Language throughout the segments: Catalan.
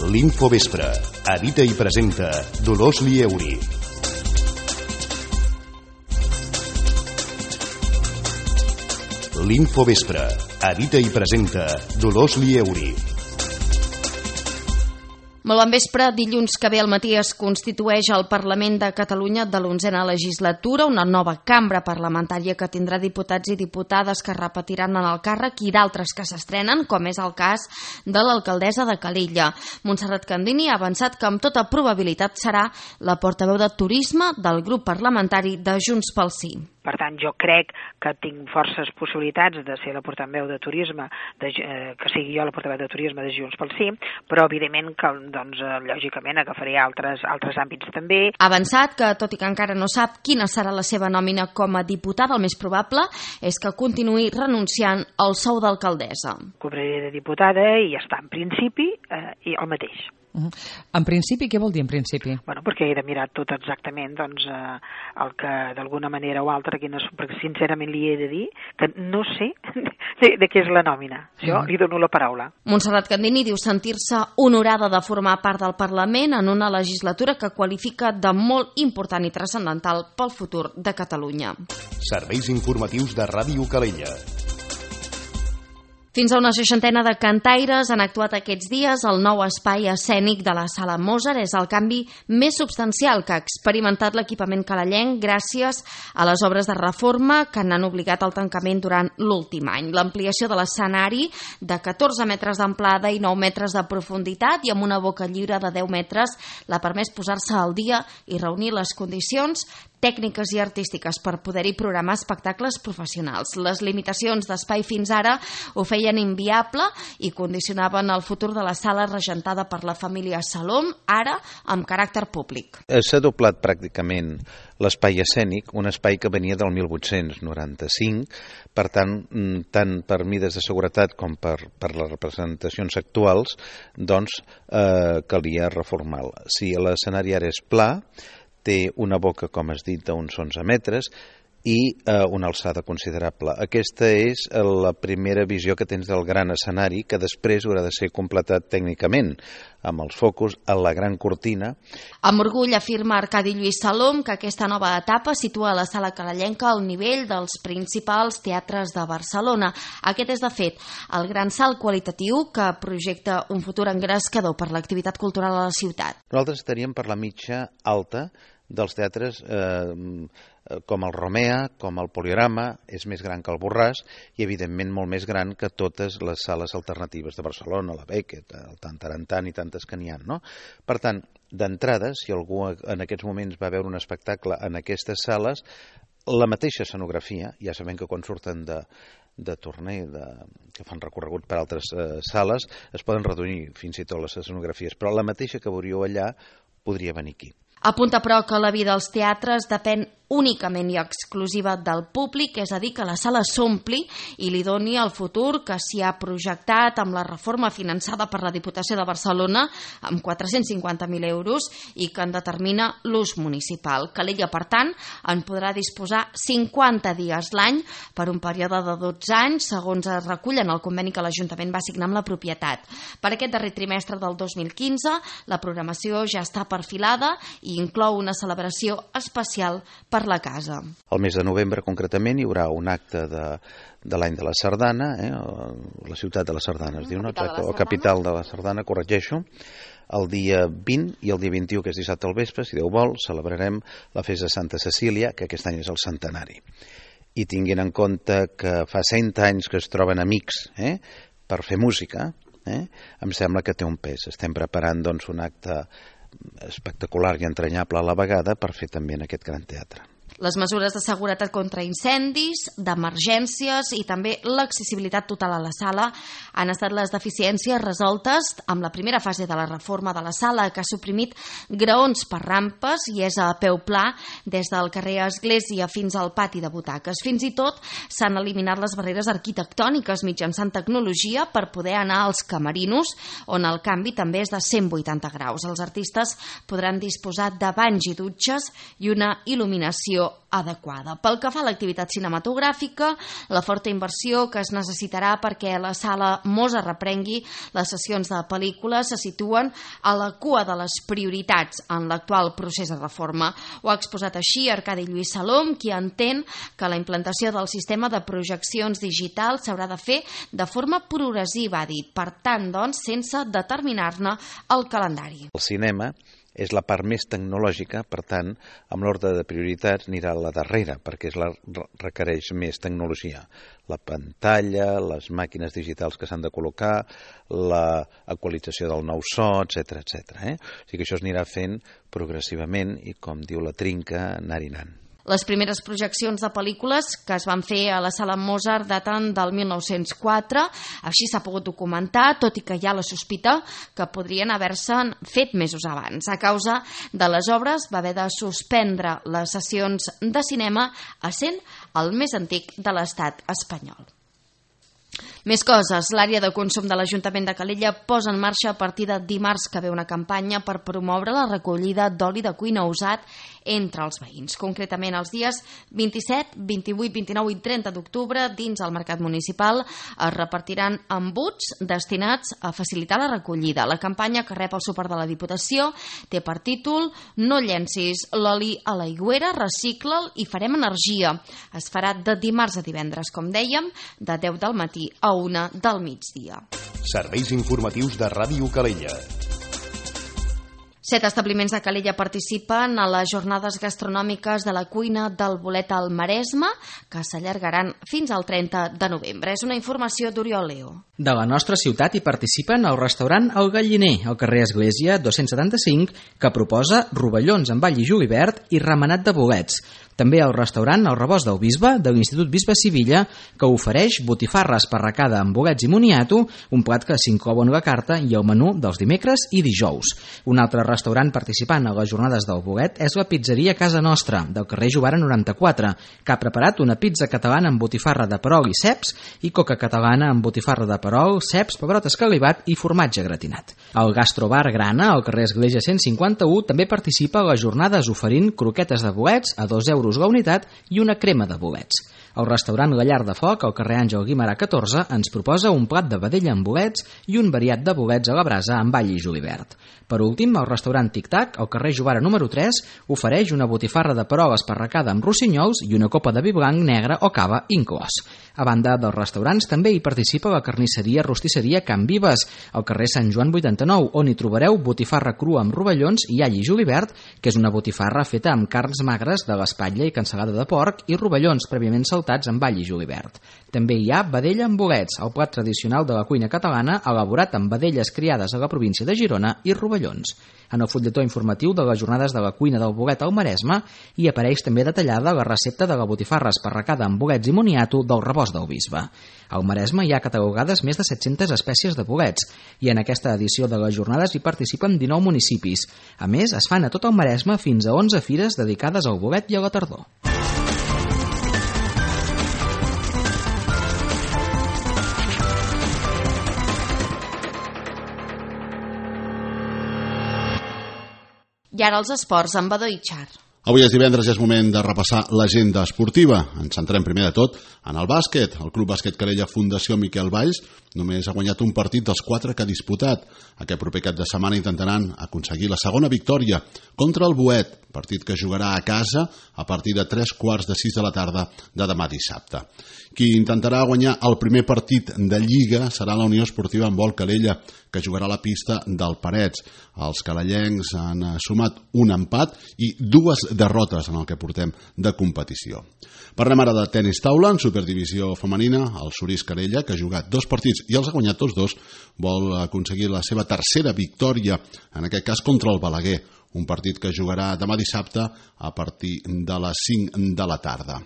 L'Infovespre. Edita i presenta Dolors Lieuri. L'Infovespre. Edita i presenta Dolors Lieuri. Molt bon vespre. Dilluns que ve al matí es constitueix el Parlament de Catalunya de l'11a legislatura, una nova cambra parlamentària que tindrà diputats i diputades que repetiran en el càrrec i d'altres que s'estrenen, com és el cas de l'alcaldessa de Calella. Montserrat Candini ha avançat que amb tota probabilitat serà la portaveu de turisme del grup parlamentari de Junts pel Sí. Per tant, jo crec que tinc forces possibilitats de ser la portaveu de turisme, que sigui jo la portaveu de turisme de Junts pel Sí, però evidentment que, lògicament, agafaré altres àmbits també. Ha avançat que, tot i que encara no sap quina serà la seva nòmina com a diputada, el més probable és que continuï renunciant al sou d'alcaldessa. Cobraré de diputada i ja està, en principi, i el mateix. En principi, què vol dir en principi? Bueno, perquè he de mirar tot exactament el que d'alguna manera o altra, perquè sincerament li he de dir que no sé de què és la nòmina. Jo li dono la paraula. Montserrat Candini diu sentir-se honorada de formar part del Parlament en una legislatura que qualifica de molt important i transcendental pel futur de Catalunya. Serveis informatius de Ràdio Calella. Fins a una 60 de cantaires han actuat aquests dies. El nou espai escènic de la Sala Mozart és el canvi més substancial que ha experimentat l'equipament calellenc gràcies a les obres de reforma que n'han obligat al tancament durant l'últim any. L'ampliació de l'escenari de 14 metres d'amplada i 9 metres de profunditat i amb una boca lliure de 10 metres l'ha permès posar-se al dia i reunir les condicions tècniques i artístiques per poder-hi programar espectacles professionals. Les limitacions d'espai fins ara ho feien inviable i condicionaven el futur de la sala regentada per la família Salom, ara amb caràcter públic. S'ha doblat pràcticament l'espai escènic, un espai que venia del 1895, per tant per mides de seguretat com per les representacions actuals, calia reformar-lo. Si l'escenari ara és pla, té una boca, com has dit, d'uns 11 metres i una alçada considerable. Aquesta és la primera visió que tens del gran escenari, que després haurà de ser completat tècnicament, amb els focus, a la gran cortina. Amb orgull afirma Arcadi Lluís Salom que aquesta nova etapa situa la sala calellenca al nivell dels principals teatres de Barcelona. Aquest és, de fet, el gran salt qualitatiu que projecta un futur engrescador per l'activitat cultural a la ciutat. Nosaltres estaríem per la mitja alta dels teatres com el Romea, com el Poliorama, és més gran que el Borràs i, evidentment, molt més gran que totes les sales alternatives de Barcelona, la Beckett, el Tantarantan i tantes que n'hi ha, no? Per tant, d'entrada, si algú en aquests moments va veure un espectacle en aquestes sales, la mateixa escenografia, ja sabem que quan surten de torner, que fan recorregut per altres sales, es poden reduir fins i tot les escenografies, però la mateixa que veuríeu allà podria venir aquí. Apunta, però, que la vida als teatres depèn únicament i exclusiva del públic, és a dir, que la sala s'ompli i li doni el futur que s'hi ha projectat amb la reforma finançada per la Diputació de Barcelona amb 450.000 euros i que en determina l'ús municipal. Calella, per tant, en podrà disposar 50 dies l'any per un període de 12 anys, segons es recull en el conveni que l'Ajuntament va signar amb la propietat. Per aquest darrer trimestre del 2015, la programació ja està perfilada i inclou una celebració especial per la casa. El mes de novembre, concretament, hi haurà un acte de l'any de la Sardana, la ciutat de la Sardana es diu, o capital de la Sardana, corregeixo. El dia 20 i el dia 21, que és dissabte al vespre, si Déu vol, celebrarem la festa de Santa Cecília, que aquest any és el centenari. I tinguin en compte que fa 100 anys que es troben amics per fer música, em sembla que té un pes. Estem preparant un acte espectacular i entranyable a la vegada per fer també en aquest gran teatre. Les mesures de seguretat contra incendis, d'emergències i també l'accessibilitat total a la sala han estat les deficiències resoltes amb la primera fase de la reforma de la sala, que ha suprimit graons per rampes i és a peu pla des del carrer Església fins al pati de butaques. Fins i tot s'han eliminat les barreres arquitectòniques mitjançant tecnologia per poder anar als camerinos, on el canvi també és de 180 graus. Els artistes podran disposar de banys i dutxes i una il·luminació il·luminació adequada. Pel que fa a l'activitat cinematogràfica, la forta inversió que es necessitarà perquè la sala Mosa reprengui les sessions de pel·lícules se situen a la cua de les prioritats en l'actual procés de reforma. Ho ha exposat així Arcadi Lluís Salom, qui entén que la implantació del sistema de projeccions digitals s'haurà de fer de forma progressiva, ha dit, per tant, doncs, sense determinar-ne el calendari. El cinema és la part més tecnològica, per tant, amb l'ordre de prioritats anirà a la darrera, perquè requereix més tecnologia. La pantalla, les màquines digitals que s'han de col·locar, l'actualització del nou so, etc. O sigui que això es anirà fent progressivament i, com diu la Trinca, anar-hi anant. Les primeres projeccions de pel·lícules que es van fer a la Sala Mozart daten del 1904, així s'ha pogut documentar, tot i que hi ha la sospita que podrien haver-se fet mesos abans. A causa de les obres va haver de suspendre les sessions de cinema, essent el més antic de l'estat espanyol. Més coses. L'àrea de consum de l'Ajuntament de Calella posa en marxa a partir de dimarts que ve una campanya per promoure la recollida d'oli de cuina usat entre els veïns. Concretament, els dies 27, 28, 29 i 30 d'octubre, dins el mercat municipal, es repartiran embuts destinats a facilitar la recollida. La campanya, que rep el suport de la Diputació, té per títol "No llencis l'oli a l'aigüera, recicla'l i farem energia". Es farà de dimarts a divendres, com dèiem, de 10 del matí a 1 del migdia. Serveis informatius de Ràdio Calella. 7 establiments de Calella participen a les jornades gastronòmiques de la cuina del bolet al Maresme, que s'allargaran fins al 30 de novembre. És una informació d'Oriol Leo. De la nostra ciutat hi participen el restaurant El Galliner, al carrer Església 275, que proposa rovellons amb all i julivert i remenat de bolets. També el restaurant El Rebost del Bisbe, de l'Institut Bisbe Sivilla, que ofereix botifarra esparracada amb bolets i moniato, un plat que s'inclou en la carta i el menú dels dimecres i dijous. Un altre restaurant participant a les jornades del bolet és la pizzeria Casa Nostra, del carrer Jovara 94, que ha preparat una pizza catalana amb botifarra de perol i ceps i coca catalana amb botifarra de perol, ceps, pebrot escalivat i formatge gratinat. El Gastrobar Grana, al carrer Església 151, també participa a les jornades oferint croquetes de bolets a 2 euros la unitat i una crema de bolets. El restaurant La Llar de Foc, al carrer Àngel Guimerà 14, ens proposa un plat de vedella amb bolets i un variat de bolets a la brasa amb all i julivert. Per últim, el restaurant Tic Tac, al carrer Jovara número 3, ofereix una botifarra de perol esparracada amb rossinyols i una copa de vi blanc, negre o cava inclòs. A banda dels restaurants, també hi participa la carnisseria rostisseria Can Vives, al carrer Sant Joan 89, on hi trobareu botifarra crua amb rovellons i all i julivert, que és una botifarra feta amb carns magres de l'espatlla i cansalada de porc i rovellons prèviament saltats amb all i julivert. També hi ha vedella amb bolets, el plat tradicional de la cuina catalana elaborat amb vedelles criades a la província de Girona i rovellons. En el fulletó informatiu de les jornades de la cuina del bolet al Maresme hi apareix també detallada la recepta de la botifarra esparracada amb bolets i moniato del Rebost del Bisbe. Al Maresme hi ha catalogades més de 700 espècies de bolets i en aquesta edició de les jornades hi participen 19 municipis. A més, es fan a tot el Maresme fins a 11 fires dedicades al bolet i a la tardor. I ara els esports amb Badó i Char. Avui és divendres i és moment de repassar l'agenda esportiva. Ens centrem primer de tot en el bàsquet. El Club Bàsquet Calella Fundació Miquel Valls només ha guanyat un partit dels 4 que ha disputat. Aquest proper cap de setmana intentaran aconseguir la segona victòria contra el Boet, partit que jugarà a casa a partir de 3:45 de la tarda de demà dissabte. Qui intentarà guanyar el primer partit de Lliga serà la Unió Esportiva Handbol Calella, que jugarà a la pista del Parets. Els calellencs han sumat un empat i 2 derrotes en el que portem de competició. Parlem ara de tenis taula en Superdivisió femenina. El Surís Calella, que ha jugat 2 partits i els ha guanyat tots 2, vol aconseguir la seva tercera victòria, en aquest cas contra el Balaguer, un partit que jugarà demà dissabte a partir de les 5 de la tarda.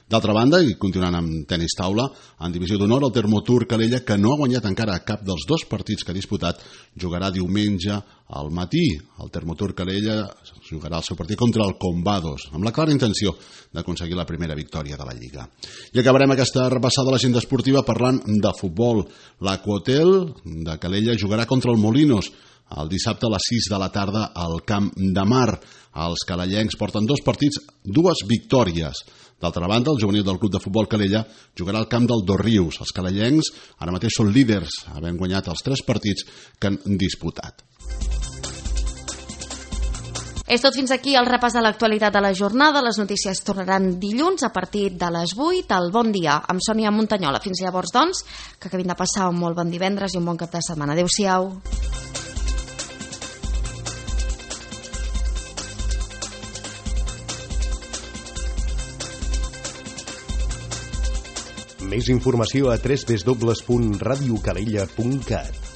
D'altra banda, i continuant amb tenis taula, en divisió d'honor el Termotur Calella, que no ha guanyat encara cap dels 2 partits que ha disputat, jugarà diumenge al matí. El Termotur Calella jugarà el seu partit contra el Combados, amb la clara intenció d'aconseguir la primera victòria de la Lliga. I acabarem aquesta repassada de l'agenda esportiva parlant de futbol. L'Aquahotel de Calella jugarà contra el Molinos el dissabte a les 6 de la tarda al Camp de Mar. Els calellencs porten 2 partits, 2 victòries. D'altra banda, el juvenil del Club de Futbol Calella jugarà al camp del Dosrius. Els calellencs ara mateix són líders, havent guanyat els 3 partits que han disputat. És tot fins aquí el repàs de l'actualitat de la jornada. Les notícies tornaran dilluns a partir de les 8. El Bon Dia amb Sònia Muntanyola. Fins llavors, doncs, que acabin de passar un molt bon divendres i un bon cap de setmana. Adéu-siau. Més informació a www.radiocalella.cat.